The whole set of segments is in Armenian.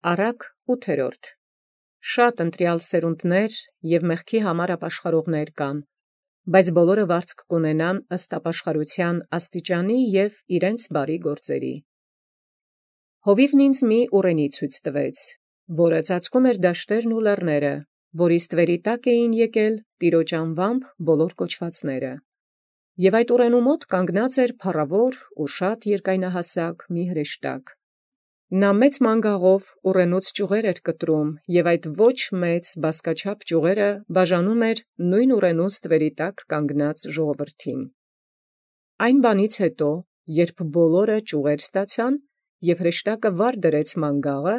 Առակ 8. Շատ ընտրյալ սերունդներ և մեղքի համար ապաշխարողներ կան, բայց բոլորը վարձք կունենան ըստ ապաշխարության աստիճանի և իրենց բարի գործերի։ Հովիվն ինձ մի ուռենի ցույց տվեց, որը ծածկում էր դաշտերն ու լեռները, որի ստվերի տակ էին եկել Տիրոջ անվամբ բոլոր կոչվածները։ Եւ այդ ուռենու մոտ կանգնած էր փառավոր ու շատ երկայնահասակ մի հրեշտակ։ Նա մեծ մանգաղով ուռենուց ճյուղեր էր կտրում, և այդ ոչ մեծ բազկաչափ ճյուղերը բաժանում էր նույն ուռենու ստվերի տակ կանգնած ժողովրդին։ Այն բանից հետո, երբ բոլորը ճյուղեր ստացան, և հրեշտակը վար դրեց մանգաղը,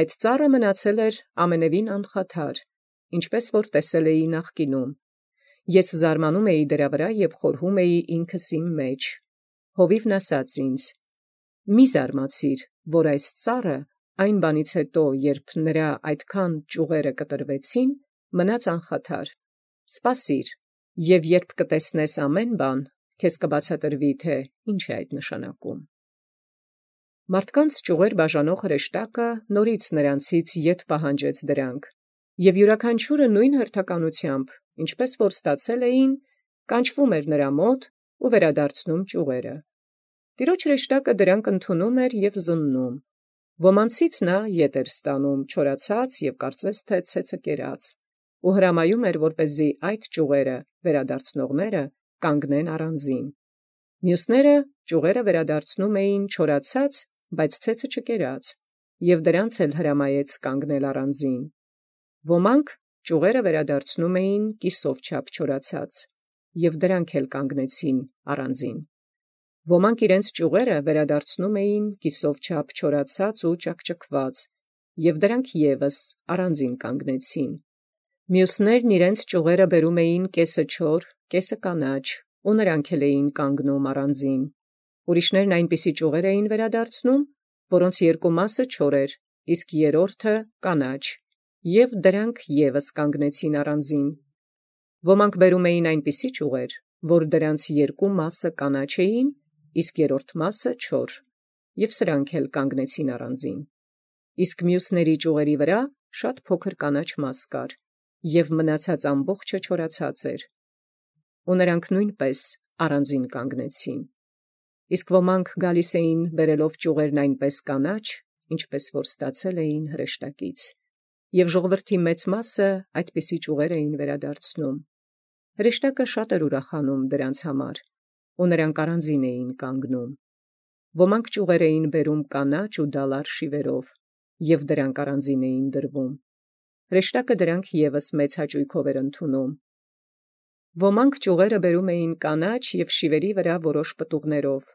այդ ծառը մնացել էր ամենևին անխաթար, ինչպես որ տեսել էի նախկինում։ Ես զարմանում էի դրա վրա և խորհում էի ինքս իմ մեջ։ Հովիվն ասաց ինձ. «Մի զարմացիր, որ այս ծառը այն բանից հետո, երբ նրա այդքան ճյուղերը կտրվեցին, մնաց անխաթար։ Սպասիր, և երբ կտեսնես ամեն բան, քեզ կբացատրվի, թե ինչ է այդ նշանակում»։ Մարդկանց ճյուղեր բաժանող հրեշտակը նորից նրանցից ետ պահանջեց դրանք, և յուրաքանչյուրը նույն հերթականությամբ, ինչպես որ ստացել էին, կանչվում էր նրա մոտ ու վերադարձնում ճյուղերը։ Տիրոջ հրեշտակը դրանք ընդունում էր և զննում։ Ոմանցից նա ետ էր ստանում չորացած և կարծես թե ցեցը կերած, ու հրամայում էր, որպեսզի այդ ճյուղերը վերադարձնողները կանգնեն առանձին։ Մյուսները ճյուղերը վերադարձնում էին չորացած, բայց ցեցը չկերած, և դրանց էլ հրամայեց կանգնել առանձին։ Ոմանք ճյուղերը վերադարձնում էին կիսով չափ չորացած, և դրանք էլ կանգնեցին առանձին։ Ոմանք իրենց ճյուղերը վերադարձնում էին կիսով չափ չորացած ու ճաքճքված, և դրանք ևս առանձին կանգնեցին։ Մյուսներն իրենց ճյուղերը բերում էին կեսը չոր, կեսը կանաչ, ու նրանք էլ էին կանգնում առանձին։ Ուրիշներն այնպիսի ճյուղեր էին վերադարձնում, որոնց երկու մասը չոր էր, իսկ երրորդը կանաչ, և դրանք ևս կանգնեցին առանձին։ Ոմանք բերում էին այնպիսի ճյուղեր, որ դրանց երկու մասը կանաչ էին, իսկ երրորդ մասը չոր, և սրանք էլ կանգնեցին առանձին։ Իսկ մյուսների ճյուղերի վրա շատ փոքր կանաչ մաս կար, և մնացած ամբողջը չորացած էր, ու նրանք նույնպես առանձին կանգնեցին։ Իսկ ոմանք գալիս էին բերելով ճյուղերն այնպես կանաչ, ինչպես որ ստացել էին հրեշտակից, և ժողովրդի մեծ մասը այդպիսի ճյուղեր էին վերադարձնում։ Հրեշտակը շատ էր ուրախանում դրանց համար, ու նրանք առանձին էին կանգնում։ Ոմանք ճյուղեր էին բերում կանաչ ու դալար շիվերով, և դրանք առանձին էին դրվում։ Հրեշտակը դրանք ևս մեծ հաճույքով էր ընդունում։ Ոմանք ճյուղերը բերում էին կանաչ և շիվերի վրա որոշ պտուղներով։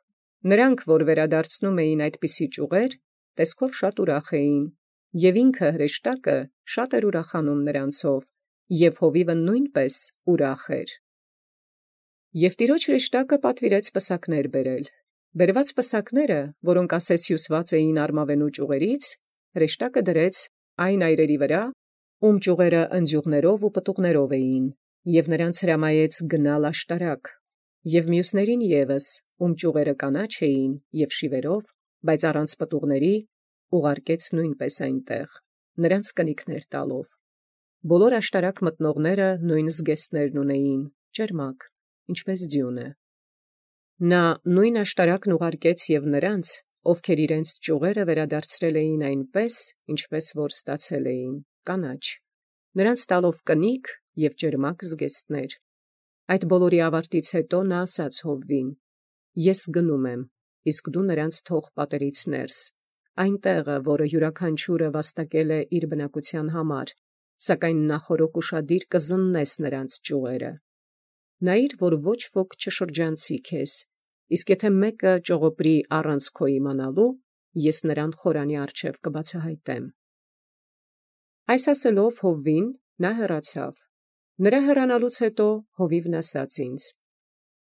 Նրանք, որ վերադարձնում էին այդպիսի ճյուղեր, տեսքով շատ ուրախ էին, և ինքը հրեշտակը շատ էր ուրախանում նրանցով, և հովիվը նույնպես ուրախ էր։ Եվ տիրոջ հրեշտակը պատվիրեց պսակներ բերել։ Բերված պսակները, որոնք ասես հյուսված էին արմավենու ճյուղերից, հրեշտակը դրեց այն այրերի վրա, ում ճյուղերը ընձյուղներով ու պտուղներով էին, և նրանց հրամայեց գնալ աշտարակ, և մյուսներին ևս, ում ճյուղերը կանաչ էին և շիվերով, բայց առանց պտուղների, ուղարկեց նույնպես այնտեղ, նրանց կնիկներ տալով։ Բոլոր աշտարակ մտնողները նույն զգեստներն ունեին, ճերմակ, ինչպես ձյունը։ Նա նույն աշտարակն ուղարկեց և նրանց, ովքեր իրենց ճյուղերը վերադարձրել էին այնպես, ինչպես որ ստացել էին, կանաչ, նրանց տալով կնիկ և ճերմակ զգեստներ։ Այդ բոլորի ավարտից հետո նա ասաց Հովվին. «Ես գնում եմ, իսկ դու նրանց թող պատերից ներս, այն տեղը, որը յուրաքանչյուրը վաստակել է իր բնակության համար, սակայն նախօրոք ուշադիր կզննես նրանց ճյուղերը։ Նայիր, որ ոչ ոք չշրջանցի քեզ, իսկ եթե մեկը ճողոպրի առանց քո իմանալու, ես նրան խորանի առջև կբացահայտեմ»։ Այս ասելով Հովվին, նա հեռացավ։ Նրա հեռանալուց հետո Հովիվն ասաց ինձ.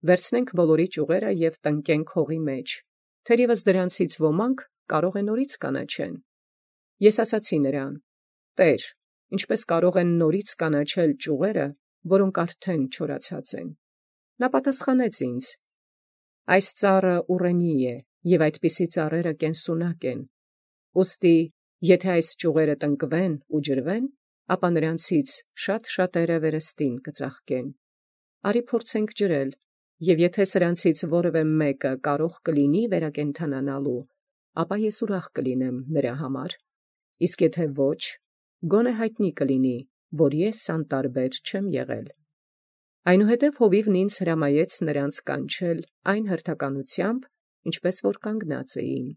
«Վերցնենք բոլորի ճյուղերը և տնկենք հողի մեջ, թերևս դրանցից ոմանք կարող է նորից կանաչեն»։ Ես ասացի նրան. «Տեր, ինչպես կարող են նորից կանաչել ճյուղերը, որոնք արդեն չորացած են»։ Նա պատասխանեց ինձ. «Այս ծառը ուռենի է, և այդպիսի ծառերը կենսունակ են։ Ուստի Եթե այս ճյուղերը տնկվեն ու ջրվեն, ապա նրանցից շատ-շատերը վերստին կծաղկեն։ Արի փորձենք ջրել, և եթե սրանցից որևէ մեկը կարող կլինի վերակենդանանալու, ապա ես ուրախ կլինեմ նրա համար, իսկ եթե ոչ, գոնե հայտնի կլինի, որ ես անտարբեր չեմ եղել։ Այնուհետև հովիվն ինձ հրամայեց նրանց կանչել այն հերթականությամբ, ինչպես որ կանգնած էին։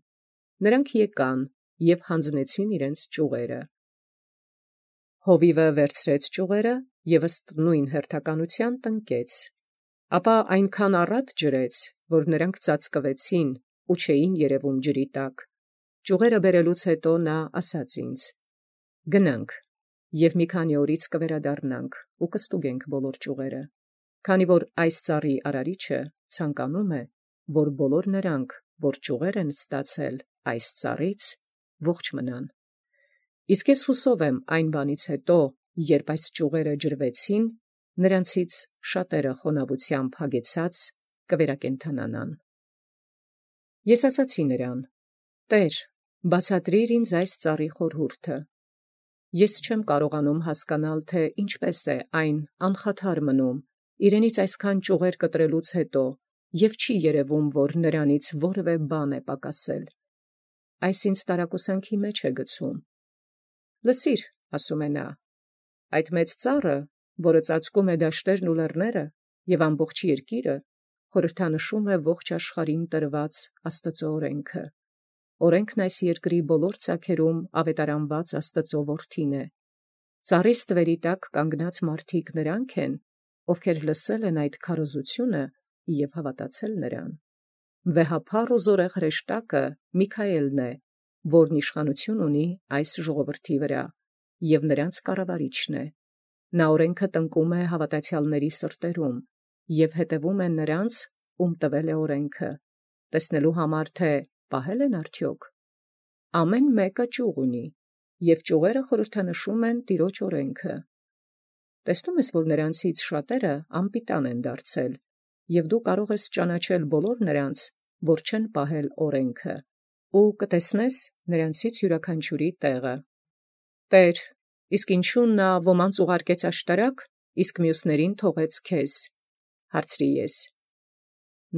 Նրանք եկան և հանձնեցին իրենց ճյուղերը։ Հովիվը վերցրեց ճյուղերը և ըստ նույն հերթականության տնկեց, ապա այնքան առատ ջրեց, որ նրանք ծածկվեցին ու չէին երևում ջրի տակ։ Ճյուղերը բերելուց հետո նա ասաց ինձ. «Գնանք, և մի քանի օրից կվերադառնանք ու կստուգենք բոլոր ճյուղերը, քանի որ այս ծառի արարիչը ցանկանում է, որ բոլոր նրանք, որ ճյուղեր են ստացել այս ծառից, ողջ մնան։ Իսկ ես հուսով եմ այն բանից հետո, երբ այս ճյուղերը ջրվեցին, նրանցից շատերը խոնավությամբ հագեցած կվերակենդանանան»։ Ես ասացի նրան. «Տեր, բացատրիր ինձ այս ծառի խորհուրդը։ Ես չեմ կարողանում հասկանալ, թե ինչպես է այն անխաթար մնում իրենից այսքան ճյուղեր կտրելուց հետո և չի երևում, որ նրանից որևէ բան է պակասել։ Այս ինձ տարակուսանքի մեջ է գցում»։ «Լսիր, ասում է նա, այդ մեծ ծառը, որը ծածկում է դաշտերն ու լեռները և ամբողջ երկիրը, խորհրդանշում է ողջ աշխարհին տրված Աստծո օրենքը։ Օրենքն այս երկրի բոլոր ծագերում ավետարանված Աստծո որդին է։ Ծառի ստվերի տակ կանգնած մարդիկ նրանք են, ովքեր լսել են այդ քարոզությունը և հավատացել նրան։ Վեհափառ ու զորեղ հրեշտակը Միքայելն է, որն իշխանություն ունի այս ժողովրդի վրա, և նրանց կառավարիչն է։ Նա օրենքը տնկում է հավատացյալների սրտերում և հետևում է նրանց, ում տվել է օրենքը, տեսնելու համար, թե պահել են արդյոք։ Ամեն մեկը ճյուղ ունի, և ճյուղերը խորհրդանշում են Տիրոջ օրենքը։ Տեսնում ես, որ նրանցից շատերը անպիտան են դարձել, և դու կարող ես ճանաչել բոլոր նրանց, որ չեն պահել օրենքը, ու կտեսնես նրանցից յուրաքանչյուրի տեղը։ Տեր, իսկ ինչու նա ոմանց ուղարկեց աշտարակ, իսկ մյուսներին թողեց քեզ, հարցրի ես։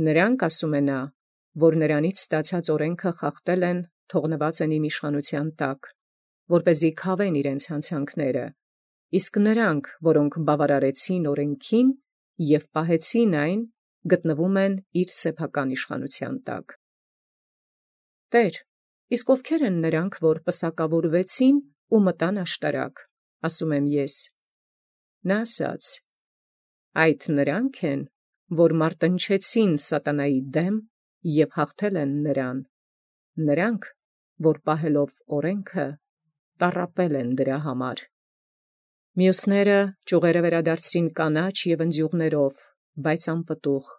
Նրանք, ասում է նա, որ նրանից ստացած օրենքը խախտել են, թողնված են իմ իշխանության տակ, որպեսզի քավեն իրենց հանցանքները, իսկ նրանք, որոնք բավարարեցին օրենքին և պահեցին այն, գտնվում են իր սեփական իշխանության տակ։ Տեր, իսկ ովքեր են նրանք, որ պսակավորվեցին ու մտան աշտարակ, ասում եմ ես։ Նա ասաց. այդ նրանք են, որ մարտնչեցին սատանայի դեմ և հաղթել են նրան, նրանք, որ պահելով օրենքը, տառապել են դրա համար։ Մյուսները ճյուղերը վերադարձրին կանաչ և ընձյուղներով, բայց անպտուղ։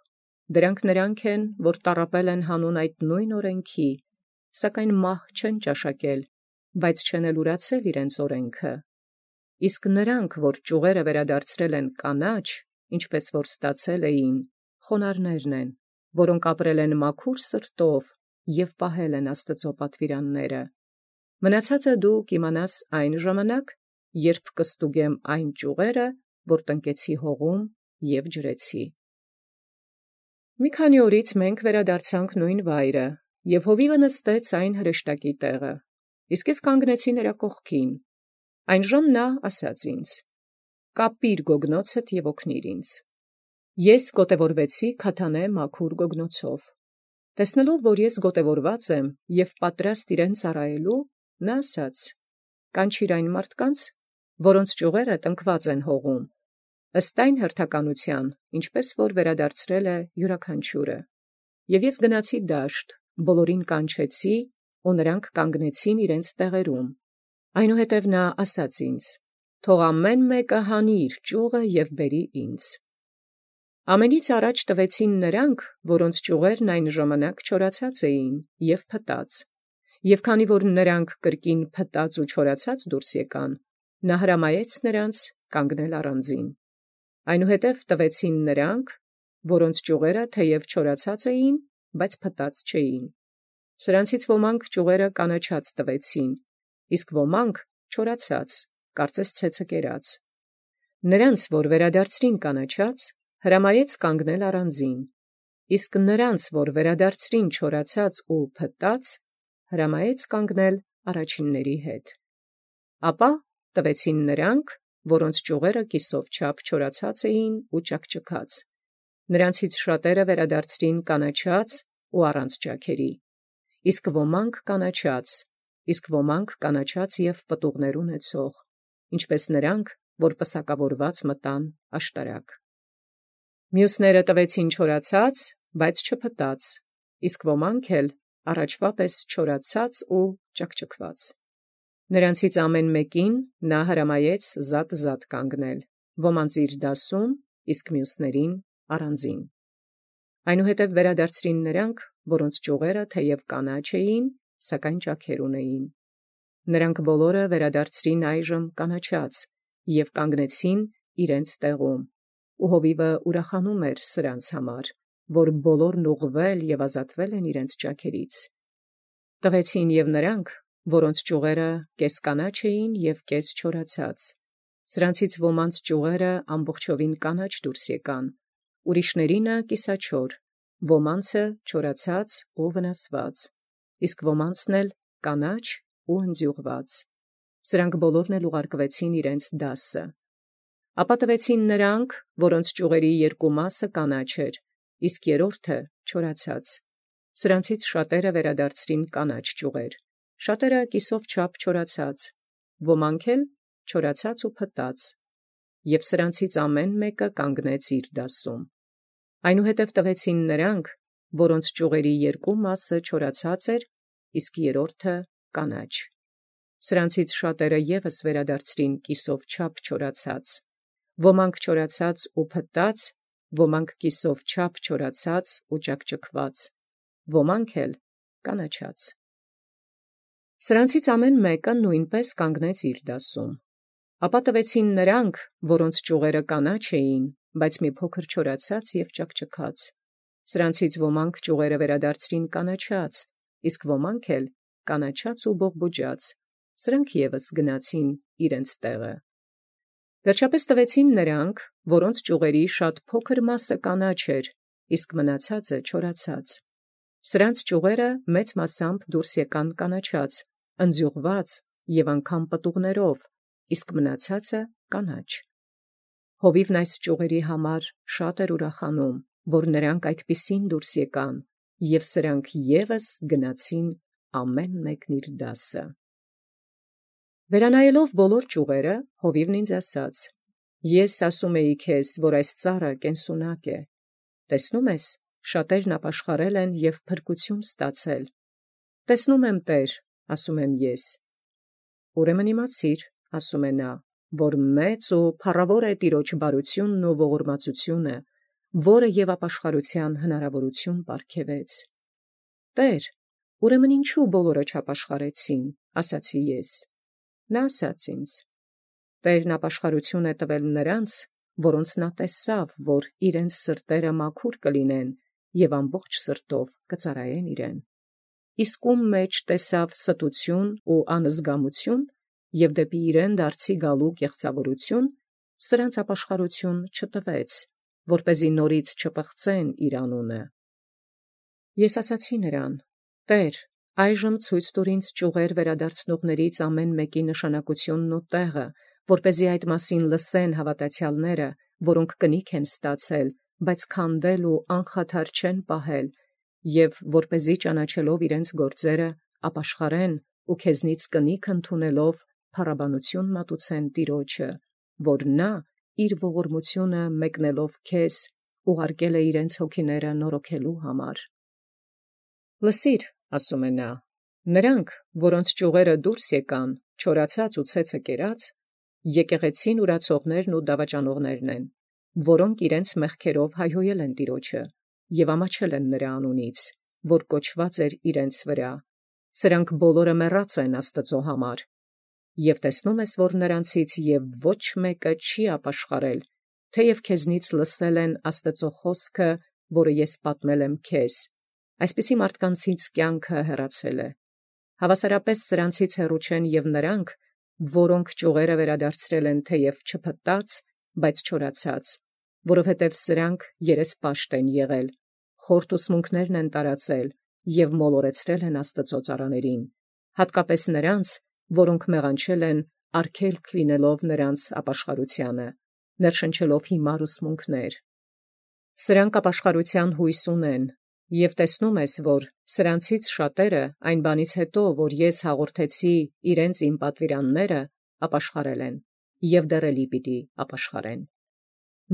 Նրանք են, որ տառապել են հանուն այդ նույն օրենքի, սակայն մահ չեն ճաշակել, բայց չեն էլ ուրացել իրենց օրենքը։ Իսկ նրանք, որ ճյուղերը վերադարձրել են կանաչ, ինչպես որ ստացել էին, խոնարհներն են, որոնք ապրել են մաքուր սրտով և պահել են Աստծո պատվիրանները։ Մնացածը դու կիմանաս այն ժամանակ, երբ կստուգեմ այն ճյուղերը, որ տնկեցի հողում և ջրեցի։ Մի քանի օրից մենք վերադարձանք նույն վայրը, և հովիվը նստեց այն հրեշտակի տեղը, իսկ ես կանգնեցի նրա կողքին։ Այնժամ նա ասաց ինձ. «Կապիր գոգնոցդ և օգնիր ինձ»։ Ես գոտևորվեցի քաթանե մաքուր գոգնոցով։ Տեսնելով, որ ես գոտևորված եմ և պատրաստ իրեն ծառայելու, նա ասաց. «Կանչիր այն մարդկանց, որոնց ճյուղերը տնկված են հողում, ըստ այն հերթականության, ինչպես որ վերադարձրել է յուրաքանչյուրը։ Եվ ես գնացի դաշտ, բոլորին կանչեցի, ու նրանք կանգնեցին իրենց տեղերում։ Այնուհետև նա ասաց ինձ. «Թող ամեն մեկը հանի իր ճյուղը և բերի ինձ»։ Ամենից առաջ տվեցին նրանք, որոնց ճյուղերն այն ժամանակ չորացած էին և փտած, և քանի որ նրանք կրկին փտած ու չորացած դուրս եկան, նա հրամայեց նրանց կանգնել առանձին։ Այնուհետև տվեցին նրանք, որոնց ճյուղերը թեև չորացած էին, բայց փտած չէին։ Սրանցից ոմանք ճյուղերը կանաչած տվեցին, իսկ ոմանք չորացած, կարծես ցեցը կերած։ Նրանց, որ վերադարձրին կանաչած, հրամայեց կանգնել առանձին, իսկ նրանց, որ վերադարձրին չորացած ու փտած, հրամայեց կանգնել առաջինների հետ։ Ապա տվեցին նրանք, որոնց ճյուղերը կիսով չափ չորացած էին ու ճաքճքած։ Նրանցից շատերը վերադարձրին կանաչած ու առանց ճաքերի, իսկ ոմանք կանաչած և պտուղներ ունեցող, ինչպես նրանք, որ պսակավորված մտան աշտարակ։ Մյուսները տվեցին չորացած, բայց չփտած, իսկ ոմանք էլ առաջվա պես չորացած ու ճաքճքված։ Նրանցից ամեն մեկին նա հրամայեց զատ կանգնել, ոմանց իր դասում, իսկ մյուսներին առանձին։ Այնուհետև վերադարձրին նրանք, որոնց ճյուղերը թեև կանաչ էին, սակայն ճաքեր ունեին։ Նրանք բոլորը վերադարձրին այժմ կանաչած և կանգնեցին իրենց տեղում, ու հովիվը ուրախանում էր սրանց համար, որ բոլորն ուղղվել և ազատվել են իրենց ճաքերից։ Տվեցին և նրանք, որոնց ճյուղերը կես կանաչ էին և կես չորացած։ Սրանցից ոմանց ճյուղերը ամբողջովին կանաչ դուրս եկան, ուրիշներինը կիսաչոր, ոմանցը չորացած ու վնասված, իսկ ոմանցն էլ կանաչ ու ընձյուղված։ Սրանք բոլորն էլ ուղարկվեցին իրենց դասը։ Ապա տվեցին նրանք, որոնց ճյուղերի երկու մասը կանաչ էր, իսկ երրորդը չորացած։ Սրանցից շատերը վերադարձրին կանաչ ճյուղեր, շատերը կիսով չափ չորացած, ոմանք էլ չորացած ու փտած, և սրանցից ամեն մեկը կանգնեց իր դասում։ Այնուհետև տվեցին նրանք, որոնց ճյուղերի երկու մասը չորացած էր, իսկ երրորդը կանաչ։ Սրանցից շատերը ևս վերադարձրին կիսով չափ չորացած, ոմանք չորացած ու փտած, ոմանք կիսով չափ չորացած ու ճաքճքված, ոմանք էլ կանաչած։ Սրանցից ամեն մեկը նույնպես կանգնեց իր դասում։ Ապա տվեցին նրանք, որոնց ճյուղերը կանաչ էին, բայց մի փոքր չորացած և ճաքճքած։ Սրանցից ոմանք ճյուղերը վերադարձրին կանաչած, իսկ ոմանք էլ կանաչած ու բողբոջած, սրանք ևս գնացին իրենց տեղը։ Վերջապես տվեցին նրանք, որոնց ճյուղերի շատ փոքր մասը կանաչ էր, իսկ մնացածը չորացած։ Սրանց ճյուղերը մեծ մասամբ դուրս եկան կանաչած, ընձյուղված և անգամ պտուղներով, իսկ մնացածը կանաչ։ Հովիվն այս ճյուղերի համար շատ էր ուրախանում, որ նրանք այդպիսին դուրս եկան, և սրանք ևս գնացին ամեն մեկն իր դասը։ Վերանայելով բոլոր ճյուղերը, հովիվն ինձ ասաց. «Ես ասում էի քեզ, որ այս ծառը կենսունակ է։ Տեսնում ես, շատերն ապաշխարել են և փրկություն ստացել։ Տեսնում եմ, Տեր, ասում եմ ես։ Ուրեմն իմացիր, ասում է նա, որ մեծ ու փառավոր է Տիրոջ բարությունն ու ողորմածությունը, որը և ապաշխարության հնարավորություն պարգևեց։ Տեր, ուրեմն ինչու բոլորը չապաշխարեցին, ասացի ես։ Նա ասաց ինձ. Տերն ապաշխարություն է տվել նրանց, որոնց նա տեսավ, որ իրենց սրտերը մաքուր կլինեն և ամբողջ սրտով կծառայեն իրեն։ Իսկ ում մեջ տեսավ ստություն ու անզգամություն և դեպի իրեն դարձի գալու կեղծավորություն, սրանց ապաշխարություն չտվեց, որպեսզի նորից չպղծեն իր անունը։ Ես ասացի նրան. Տեր, այժմ ցույց տուր ինձ ճյուղեր վերադարձնողներից ամեն մեկի նշանակությունն ու տեղը, որպեսզի այդ մասին լսեն հավատացյալները, որոնք կնիկ են ստացել, բայց քանդել ու անխաթար չեն պահել, և որպեսզի ճանաչելով իրենց գործերը ապաշխարեն ու քեզնից կնիկ ընդունելով փառաբանություն մատուցեն Տիրոջը, որ նա իր ողորմությունը մեկնելով քեզ ուղարկել է իրենց հոգիները նորոգելու համար։ Լսիր, ասում է նա, նրանք, որոնց ճյուղերը դուրս եկան, չորացած ու ցեցը կերած, եկեղեցին ուրացողներն ու դավաճանողներն են, որոնք իրենց մեղքերով հայհոյել են Տիրոջը և ամաչել են նրա անունից, որ կոչված էր իրենց վրա։ Սրանք բոլորը մեռած են Աստծո համար։ Եվ տեսնում ես, որ նրանցից և ոչ մեկը չի ապաշխարել, թեև քեզնից լսել են Աստծո խոսքը, որը ես պատմել եմ քեզ, այսպիսի մարդկանցից կյանքը հեռացել է։ Հավասարապես սրանցից հեռու չեն և նրանք, որոնք ճյուղերը վերադարձրել են թեև չփտած, բայց չորացած, որովհետև սրանք երեսպաշտ են եղել, խորտ ուսմունքներն են տարածել և մոլորեցրել են Աստծո ծառաներին, հատկապես նրանց, որոնք մեղանչել են արգելք լինելով նրանց ապաշխարությանը, ներշնչելով հիմար ուսմունքներ։ Սրանք ապաշխարության հույս ունեն, և տեսնում ես, որ սրանցից շատերը այն բանից հետո, որ ես հաղորդեցի իրենց իմ պատվիրանները, ապաշխարել են, և դեռելի պիտի ապաշխարեն։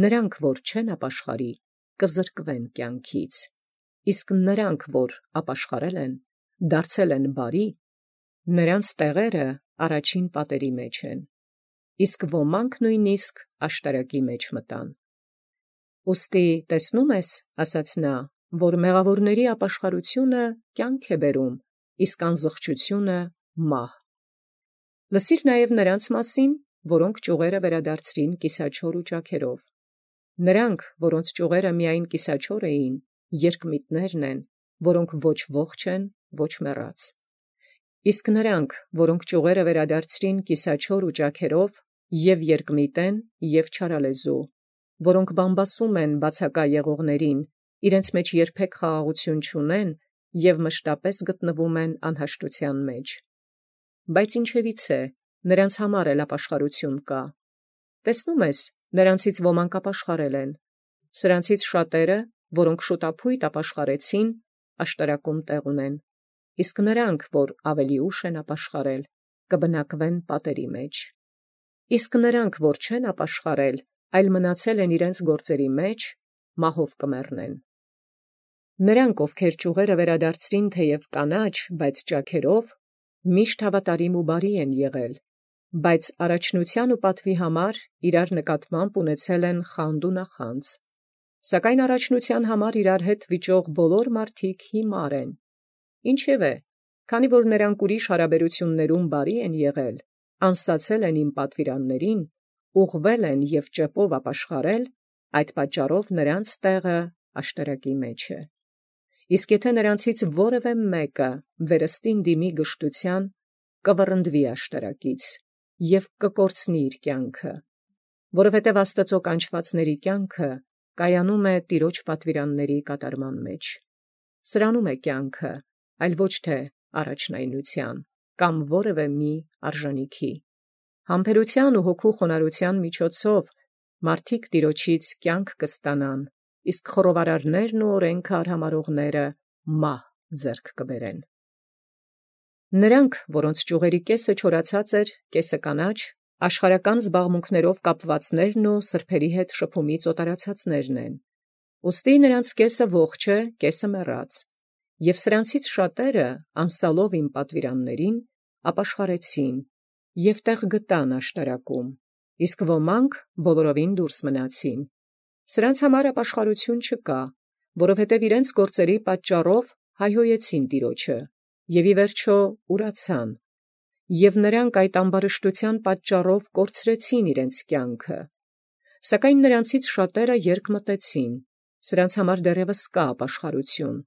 Նրանք, որ չեն ապաշխարի, կզրկվեն կյանքից, իսկ նրանք, որ ապաշխարել են, դարձել են բարի, նրանց տեղերը առաջին պատերի մեջ են, իսկ ոմանք նույնիսկ աշտարակի մեջ մտան։ Ուստի տեսնում ես, ասաց նա, որ մեղավորների ապաշխարությունը կյանք է բերում, իսկ անզղջությունը մահ։ Լսիր նաև նրանց մասին, որոնք ճյուղերը վերադարձրին կիսաչոր ու ճաքերով։ Նրանք, որոնց ճյուղերը միայն կիսաչոր էին, երկմիտներն են, որոնք ոչ ողջ են, ոչ մեռած։ Իսկ նրանք, որոնք ճյուղերը վերադարձրին կիսաչոր ու ճաքերով, և երկմիտ են, և չարալեզու, որոնք բամբասում են բացակա եղողներին, իրենց մեջ երբեք խաղաղություն չունեն և մշտապես գտնվում են անհաշտության մեջ։ Բայց ինչևից է, նրանց համար էլ ապաշխարություն կա։ Տեսնում ես, նրանցից ոմանք ապաշխարել են։ Սրանցից շատերը, որոնք շուտափույթ ապաշխարեցին, աշտարակում տեղ ունեն, իսկ նրանք, որ ավելի ուշ են ապաշխարել, կբնակվեն պատերի մեջ։ Իսկ նրանք, որ չեն ապաշխարել, այլ մնացել են իրենց գործերի մեջ, մահով կմեռնեն։ Նրանք, ովքեր ճյուղերը վերադարձրին թեև կանաչ, բայց ճաքերով, միշտ հավատարիմ ու բարի են եղել, բայց առաջնության ու պատվի համար իրար նկատմամբ ունեցել են խանդ ու նախանձ։ Սակայն առաջնության համար իրար հետ վիճող բոլոր մարդիկ հիմար են։ Ինչևէ, քանի որ նրանք ուրիշ հարաբերություններում բարի են եղել, անսացել են իմ պատվիրաններին, ուղղվել են և ճեպով ապաշխարել, այդ պատճառով նրանց տեղը աշտարակի մեջ է։ Իսկ եթե նրանցից որևէ մեկը վերստին դիմի գժտության, կվռնդվի աշտարակից և կկորցնի իր կյանքը, որովհետև Աստծո կանչվածների կյանքը կայանում է Տիրոջ պատվիրանների կատարման մեջ։ Սրանում է կյանքը, այլ ոչ թե առաջնայնության կամ որևէ մի արժանիքի։ Համբերության ու հոգու խոնարհության միջոցով մարդիկ Տիրոջից կյանք կստանան, իսկ խռովարարներն ու օրենքը արհամարհողները մահ ձեռք կբերեն։ Նրանք, որոնց ճյուղերի կեսը չորացած էր, կեսը կանաչ, աշխարհական զբաղմունքներով կապվածներն ու սրբերի հետ շփումից օտարացածներն են։ Ուստի նրանց կեսը ողջ է, կեսը մեռած, և սրանցից շատերը, անսալով իմ պատվիրաններին, ապաշխարեցին և տեղ գտան աշտարակում, իսկ ոմանք բոլորովին դուրս մնացին։ Սրանց համար ապաշխարություն չկա, որովհետև իրենց գործերի պատճառով հայհոյեցին Տիրոջը, և ի վերջո ուրացան, և նրանք այդ ամբարշտության պատճառով կորցրեցին իրենց կյանքը։ Սակայն նրանցից շատերը երկմտեցին, սրանց համար դեռևս կա ապաշխարություն,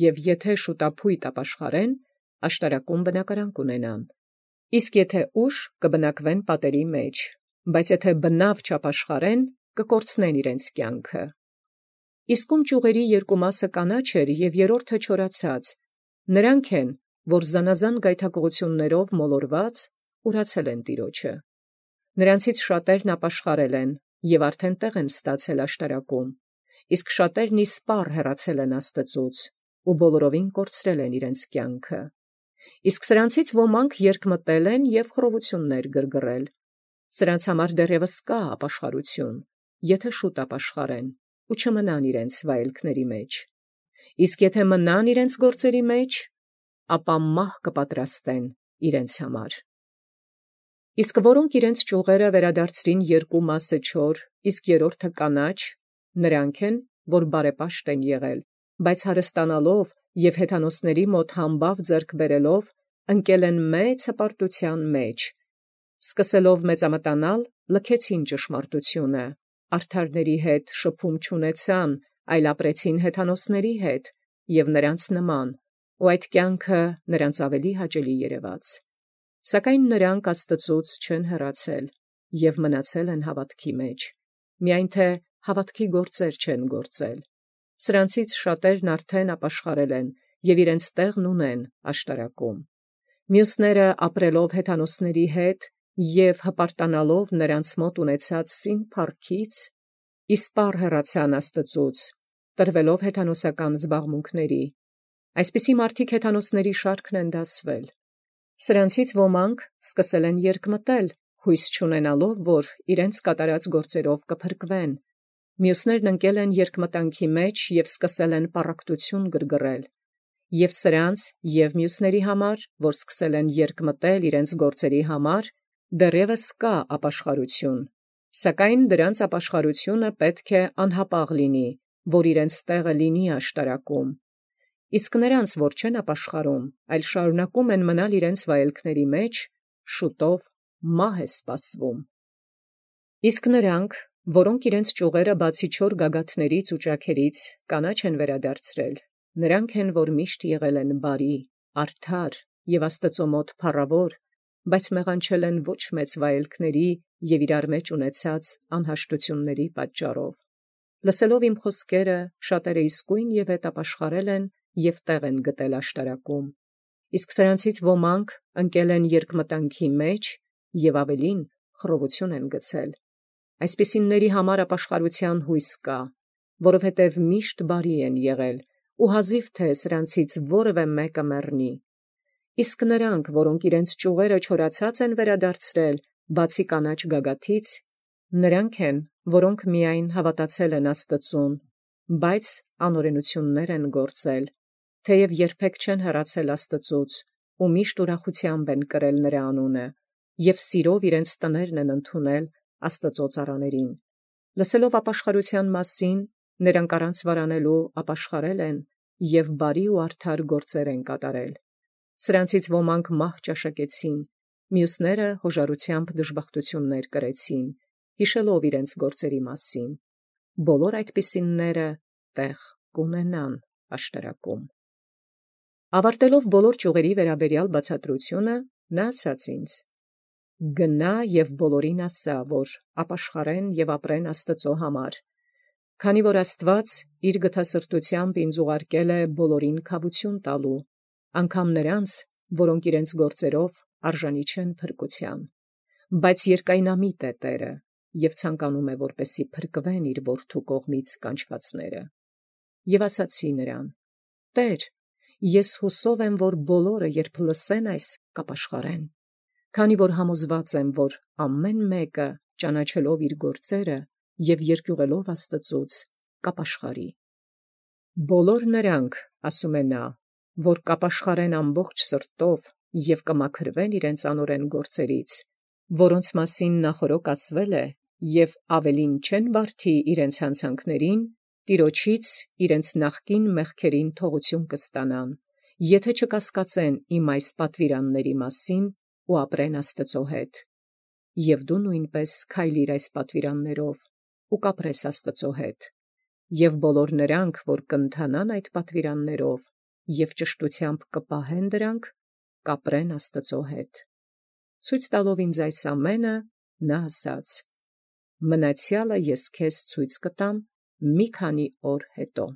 և եթե շուտափույթ ապաշխարեն, աշտարակում բնակարան կունենան, իսկ եթե ուշ կբնակվեն պատերի մեջ, բայց եթե բնավ չապաշխարեն, կկորցնեն իրենց կյանքը։ Իսկ ում ճյուղերի երկու մասը կանաչ էր և երրորդը չորացած, նրանք են, որ զանազան գայթակղություններով մոլորված ուրացել են Տիրոջը։ Նրանցից շատերն ապաշխարել են և արդեն տեղ են ստացել աշտարակում, իսկ շատերն իսպառ հեռացել են Աստծուց ու բոլորովին կորցրել են իրենց կյանքը։ Իսկ սրանցից ոմանք երկմտել են և խռովություններ գրգռել։ Սրանց համար դեռևս կա ապաշխարություն, եթե շուտ ապաշխարեն ու չմնան իրենց վայելքների մեջ։ Իսկ եթե մնան իրենց գործերի մեջ, ապա մահ կպատրաստեն իրենց համար։ Իսկ որոնք իրենց ճյուղերը վերադարձրին երկու մասը չոր, իսկ երրորդը կանաչ, նրանք են, որ բարեպաշտ են եղել, բայց հարստանալով և հեթանոսների մոտ համբավ ձեռք բերելով, ընկել են մեծ հպարտության մեջ, սկսելով մեծամտանալ, լքեցին ճշմարտությունը, արդարների հետ շփում չունեցան, այլ ապրեցին հեթանոսների հետ, և նրանց նման, ու այդ կյանքը նրանց ավելի հաճելի երևաց։ Սակայն նրանք Աստծուց չեն հեռացել և մնացել են հավատքի մեջ, միայն թե հավատքի գործեր չեն գործել։ Սրանցից շատերն արդեն ապաշխարել են և իրենց տեղն ունեն աշտարակում։ Մյուսները ապրելով հեթանոսների հետ և հպարտանալով նրանց մոտ ունեցած սին փառքից, իսպառ հեռացան Աստծուց, տրվելով հեթանոսական զբաղմունքների։ Այսպիսի մարդիկ հեթանոսների շարքն են դասվել։ Սրանցից ոմանք սկսել են երկմտել, հույս չունենալով, որ իրենց կատարած գործերով կփրկվեն։ Մյուսներն ընկել են երկմտանքի մեջ և սկսել են պառակտություն գրգռել։ Եվ սրանց և մյուսների համար, որ սկսել են երկմտել իրենց գործերի համար, դեռևս կա ապաշխարություն, սակայն դրանց ապաշխարությունը պետք է անհապաղ լինի, որ իրենց տեղը լինի աշտարակում։ Իսկ նրանց, որ չեն ապաշխարում, այլ շարունակում են մնալ իրենց վայելքների մեջ, շուտով մահ է սպասվում։ Իսկ նրանք, որոնք իրենց ճյուղերը բացի չոր գագաթներից ու ճաքերից կանաչ են վերադարձրել, նրանք են, որ միշտ եղել են բարի, արդար և Աստծո մոտ փառավոր, բայց մեղանչել են ոչ մեծ վայելքների և իրար մեջ ունեցած անհաշտությունների պատճառով։ Լսելով իմ խոսքերը, շատերը իսկույն և հետ ապաշխարել են և տեղ են գտել աշտարակում։ Իսկ սրանցից ոմանք ընկել են երկմտանքի մեջ և ավելին խռովություն են գցել։ Այսպիսիների համար ապաշխարության հույս կա, որովհետև միշտ բարի են եղել, ու հազիվ թե սրանցից որևէ մեկը մեռնի։ Իսկ նրանք, որոնք իրենց ճյուղերը չորացած են վերադարձրել, բացի կանաչ գագաթից, նրանք են, որոնք միայն հավատացել են Աստծուն, բայց անօրենություններ են գործել, թեև երբեք չեն հեռացել Աստծուց, ու միշտ ուրախությամբ են կրել նրա անունը, և սիրով իրենց տներն են ընդունել Աստծո ծառաներին։ Լսելով ապաշխարության մասին, նրանք առանց վարանելու ապաշխարել են և բարի ու արդար գործեր են կատարել։ Սրանցից ոմանք մահ ճաշակեցին, մյուսները հոժարությամբ դժբախտություններ կրեցին, հիշելով իրենց գործերի մասին։ Բոլոր այդպիսինները տեղ կունենան աշտարակում։ Ավարտելով բոլոր ճյուղերի վերաբերյալ բացատրությունը, նա ասաց ինձ. «Գնա և բոլորին ասա, որ ապաշխարեն և ապրեն Աստծո համար, քանի որ Աստված իր գթասրտությամբ ինձ ուղարկել է բոլորին քավություն տալու, անգամ նրանց, որոնք իրենց գործերով արժանի չեն փրկության, բայց երկայնամիտ է Տերը և ցանկանում է, որպեսզի փրկվեն իր որդու կողմից կանչվածները։ Եվ ասացի նրան. Տեր, ես հուսով եմ, որ բոլորը, երբ լսեն այս, կապաշխարեն, քանի որ համոզված եմ, որ ամեն մեկը, ճանաչելով իր գործերը և երկյուղելով Աստծուց, կապաշխարի։ Բոլոր նրանք, ասում է նա, որ կապաշխարեն ամբողջ սրտով և կմաքրվեն իրենց անօրեն գործերից, որոնց մասին նախօրոք ասվել է, և ավելին չեն բարդի իրենց հանցանքներին, Տիրոջից իրենց նախկին մեղքերին թողություն կստանան, եթե չկասկածեն իմ այս պատվիրանների մասին ու ապրեն Աստծո հետ։ Եվ դու նույնպես քայլիր այս պատվիրաններով ու կապրես Աստծո հետ։ Եվ բոլոր նրանք, որ կընթանան այդ պատվիրաններով և ճշտությամբ կպահեն դրանք, կապրեն Աստծո հետ։ Ցույց տալով ինձ այս ամենը, նա ասաց. «Մնացյալը ես քեզ ցույց կտամ մի քանի օր հետո»։